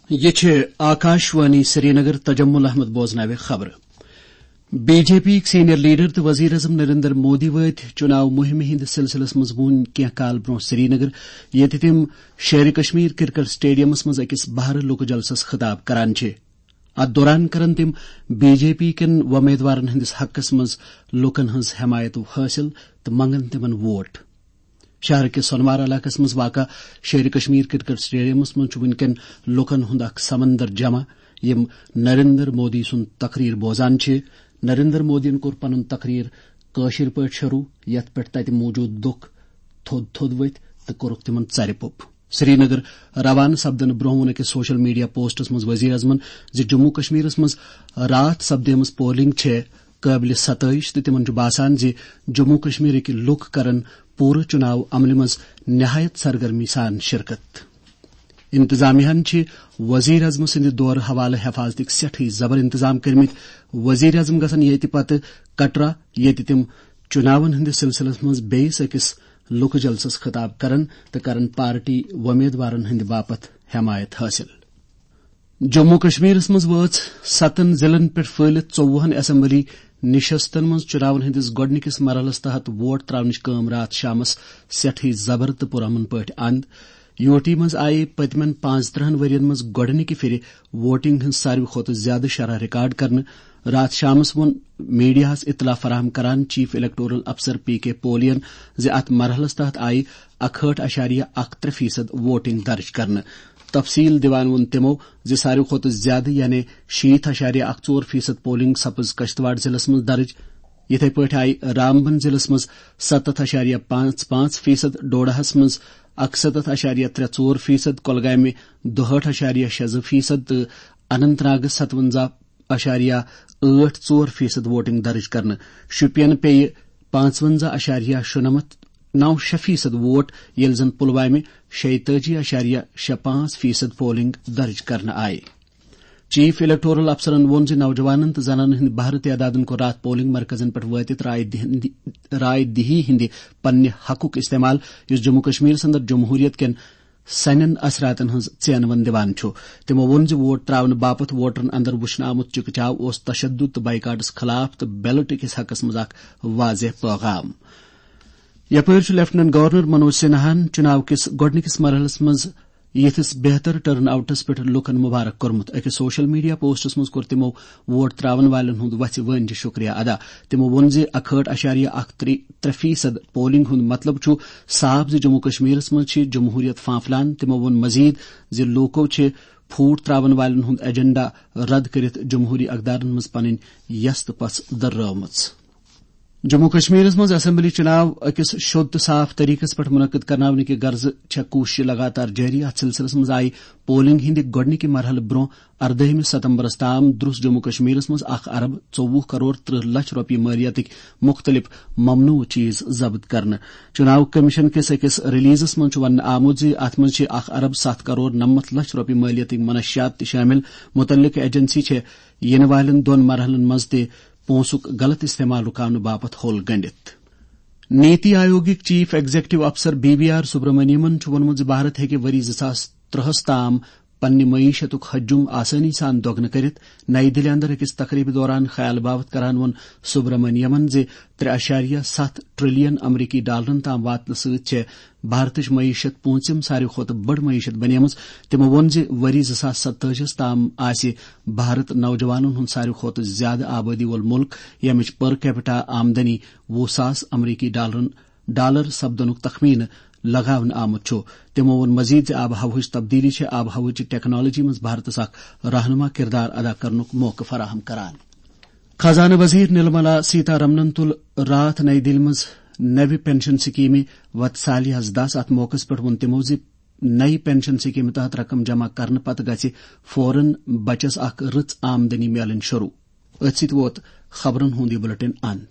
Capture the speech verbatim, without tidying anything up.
یہِ چھِ آکاشوانی سرینگر۔ تجمل احمد بوزناوِ خبرٕ۔ بی جے پی یِکۍ سینئر لیڈر تہٕ وزیر اعظم نریندر مودی وٲتۍ چُناو مُہِمہِ ہِنٛدِ سلسلس منٛز وُنۍ کینٛہہ کال برٛونٛہہ سرینگر، ییٚتہِ تِم شیرِ کشمیر کرکٹ سٹیڈیمس منٛز أکِس بہرٕ لوکہٕ جلسس خطاب کران چھِ۔ اتھ دوران کرن تِم بی جے پی کٮ۪ن وۄمیدوارن ہٕنٛدِس حقس منٛز لوٗکن ہٕنٛز حمایت حٲصِل تہٕ منگن تِمن ووٹ۔ شہر کِس سونوار علاقس منٛز واقع شیرِ کشمیر کرکٹ سٹیڈیمس منٛز چھُ وُنکٮ۪ن لوٗکن ہُنٛد اکھ سمندر جمع، یِم نریندر مودی سُنٛد تقریر بوزان چھِ۔ نریندر مودیَن کوٚر پنُن تقریر کٲشِر پٲٹھۍ شروع، یتھ پٮ۪ٹھ تتہِ موجود لوٗکھ تھوٚد تھوٚد ؤتھۍ تہٕ کوٚرُکھ تِمن ژرِ پوٚپ۔ سرینگر روانہٕ سپدنہٕ برٛونٛہہ ووٚن أکِس سوشل میڈیا پوسٹس منٛز وزیر اعظمن زِ جموں کشمیرس منٛز راتھ سپدیمٕژ پولنگ چھےٚ قٲبلِ ستٲیِش تہٕ تِمن چھُ باسان زِ جموں کشمیرٕکۍ لوٗکھ کرن پوٗرٕ چُناو عملہِ منٛز نہایت سرگرمی سان شرکت۔ انتظامیہ ہن چھِ وزیر اعظم سٕنٛدِ دورٕ حوالہٕ حفاظتٕکۍ سٮ۪ٹھٕے زبر انتظام کٔرمٕتۍ۔ وزیر اعظم گژھن ییٚتہِ پتہٕ کٹرا، ییٚتہِ تِم چُناون ہٕنٛدِس سلسلس منٛز بیٚیِس أکِس لوکہٕ جلسس خطاب کرن تہٕ کرن پارٹی وۄمیدوارن ہٕنٛدِ باپتھ حمایت حٲصِل۔ جموں کشمیرس منٛز وٲژ ستن ضلعن پٮ۪ٹھ پھٔہلِتھ ژوٚوُہن اسمبلی نشستن منٛز چُناون ہٕنٛدِس گۄڈٕنِکِس مرحلس تحت ووٹ تراونٕچ کٲم راتھ شامس سٮ۪ٹھٕے زبر تہٕ پُرامن پٲٹھۍ اند۔ یو ٹی منٛز آیہِ پٔتمٮ۪ن پانٛژترٕٛہن ؤرین منٛز گۄڈٕنِکہِ پھِرِ ووٹنگ ہٕنٛز ساروی کھۄتہٕ زیادٕ شرح ریکارڈ کرنہٕ۔ راتھ شامس ووٚن میڈیاہس اطلاع فراہم کران چیف الیکٹورل افسر پی کے پولین زِ اتھ مرحلس تحت آیہِ اکہٲٹھ اشاریہ اکھ ترٛےٚ فیصد ووٹنگ درج کرنہٕ۔ تفصیل دِوان ووٚن تِمو زِ ساروی کھۄتہٕ زیادٕ، یعنی شیٖتھ اشاریہ اکھ ژور فیصد پولنگ سپٕز کشتواڑ ضلعس منٛز درج۔ یِتھے پٲٹھۍ آیہِ رامبن ضلعس منٛز ستتھ اشاریہ پانٛژھ پانٛژھ فیصد، ڈوڈاہس منٛز اکستتھ اشاریہ ترٛےٚ ژور فیصد، کۄلگامہِ دُہٲٹھ اشاریہ شےٚ زٕ فیصد تہٕ اننت ناگس ستونزہ اشاریہ ٲٹھ ژور فیصد ووٹنگ درج کرنہٕ۔ شُپین پیٚیہِ پانٛژونزہ اشاریہ شُنمتھ نو شےٚ فیصد ووٹ، ییٚلہِ زن پلوامہِ شیٚیہِ تٲجی اشاریہ شےٚ پانٛژھ فیصد پولنگ درج کرنہٕ آیہِ۔ چیف الیکٹورل افسرن ووٚن زِ نوجوانن تہٕ زنانن ہٕنٛدِ بہرٕ تعدادن کوٚر راتھ پولنگ مرکزن پٮ۪ٹھ وٲتِتھ راے دِہندِ-، راے دِہی ہٕنٛدِ پننہِ حقُک استعمال، یُس جموں کشمیرس اندر جمہوریت کٮ۪ن سنٮ۪ن اثراتن ہٕنٛز ژینوٕنۍ دِوان چھُ۔ تِمو ووٚن زِ ووٹ تراونہٕ باپتھ ووٹرن اندر وُچھنہٕ آمُت چِکہٕ چاو اوس تشدد تہٕ بائیکاٹس خلاف تہٕ بیلٹ کِس حقس منٛز اکھ واضح پیغام۔ یپٲرۍ چھُ لیفٹیننٹ گورنر منوج سنہاہن چُناو کِس گۄڈٕنِکِس مرحلس منٛز یِتھِس بہتر ٹرن آؤٹس پٮ۪ٹھ لوٗکن مبارک کوٚرمُت۔ أکِس سوشل میڈیا پوسٹس منٛز کوٚر تِمو ووٹ تراون والٮ۪ن ہُنٛد وژھِ وٲنجہِ شُکریہ ادا۔ تِمو ووٚن زِ اکہٲٹھ اشاریہ اکھ ترٛےٚ فیصد پولنگ ہُنٛد مطلب چھُ صاف زِ جموں کشمیرس منٛز چھِ جمہوریت پھانپھلان۔ تِمو ووٚن مزید زِ لوٗکو چھِ پھوٹ تراون والٮ۪ن ہُنٛد ایجنڈا رد کٔرِتھ جمہوری اقدارن منٛز پنٕنۍ یژھ تہٕ پژھ دٔرٲومٕژ۔ جموں کشمیرس منٛز اسمبلی چُناو أکِس شوٚد تہٕ صاف طریقس پٮ۪ٹھ منعقد کرناونہٕ کہِ غرضہٕ چھےٚ کوٗشش لگاتار جٲری۔ اتھ سلسلس منٛز آیہِ پولنگ ہٕنٛدِ گۄڈٕنِکہِ مرحلہٕ برٛونٛہہ اردٲہمہِ ستمبرس تام درٛوس جموں کشمیرس منٛز اکھ ارب ژوٚوُہ کرور ترٕٛہ لچھ رۄپیہِ مٲلیتٕکۍ مُختٔلِف ممنوع چیز ضبط کرنہٕ۔ چُناو کمیشن کِس أکِس ریلیزس منٛز چھُ وننہٕ آمُت زِ اتھ منٛز چھِ اکھ ارب ستھ کرور نمتھ لچھ رۄپیہِ مٲلیتٕکۍ منشیات تہِ شٲمِل۔ مُتعلقہٕ ایجنسی چھےٚ یِنہٕ والٮ۪ن دۄن مرحلن منٛز تہِ پونٛسُک غلط استعمال رُکاونہٕ باپتھ ہوٚل گٔنٛڈِتھ۔ نیتی آیوگٕکۍ چیف ایگزیکٹو افسر بی وی آر سبرمنیمن چھُ ووٚنمُت زِ بھارت ہیٚکہِ ؤری زٕ ساس ترٛہس تام پننہِ معیشتُک حجم آسٲنی سان دۄگنہٕ کٔرِتھ۔ نئی دِلہِ اندر أکِس تقریبہِ دوران خیال باوتھ کران ووٚن سبرمنیمن زِ ترٛےٚ اشاریہ ستھ ٹریلین امریکی ڈالرن تام واتنہٕ سۭتۍ چھےٚ بھارتٕچ معیشت پوٗنٛژِم ساروی کھۄتہٕ بٔڑ معیشت بنیمٕژ۔ تِمو ووٚن زِ ؤری زٕ ساس ستٲجی ہس تام آسہِ بھارت نوجوانن ہُنٛد ساروی کھۄتہٕ زیادٕ آبٲدی وول مُلک، ییٚمِچ per capita آمدنی وُہ ساس امریکی ڈالرن، ڈالر سپدنُک تخمینہٕ لگاونہٕ آمُت چھُ۔ تِمو ووٚن مزید زِ آب و ہوہٕچ تبدیلی چھِ آب و ہوہٕچہِ ٹیکنالوجی منٛز بھارتس اکھ رہنما کردار ادا کرنُک موقعہٕ فراہم کران۔ خزانہٕ وزیر نرملا سیتارمنن تُل راتھ نئی دِلہِ منٛز نوِ پنشن سکیمہِ وتسالیاہس دس۔ اتھ موقعس پٮ۪ٹھ ووٚن تِمو زِ نئی پنشن سکیمہِ تحت رقم جمع کرنہٕ پتہٕ گژھِ فوراً بچس اکھ رٕژ آمدنی میلٕنۍ شروع۔ أتھۍ سۭتۍ ووت خبرن ہُنٛد یہِ بلیٹن اند۔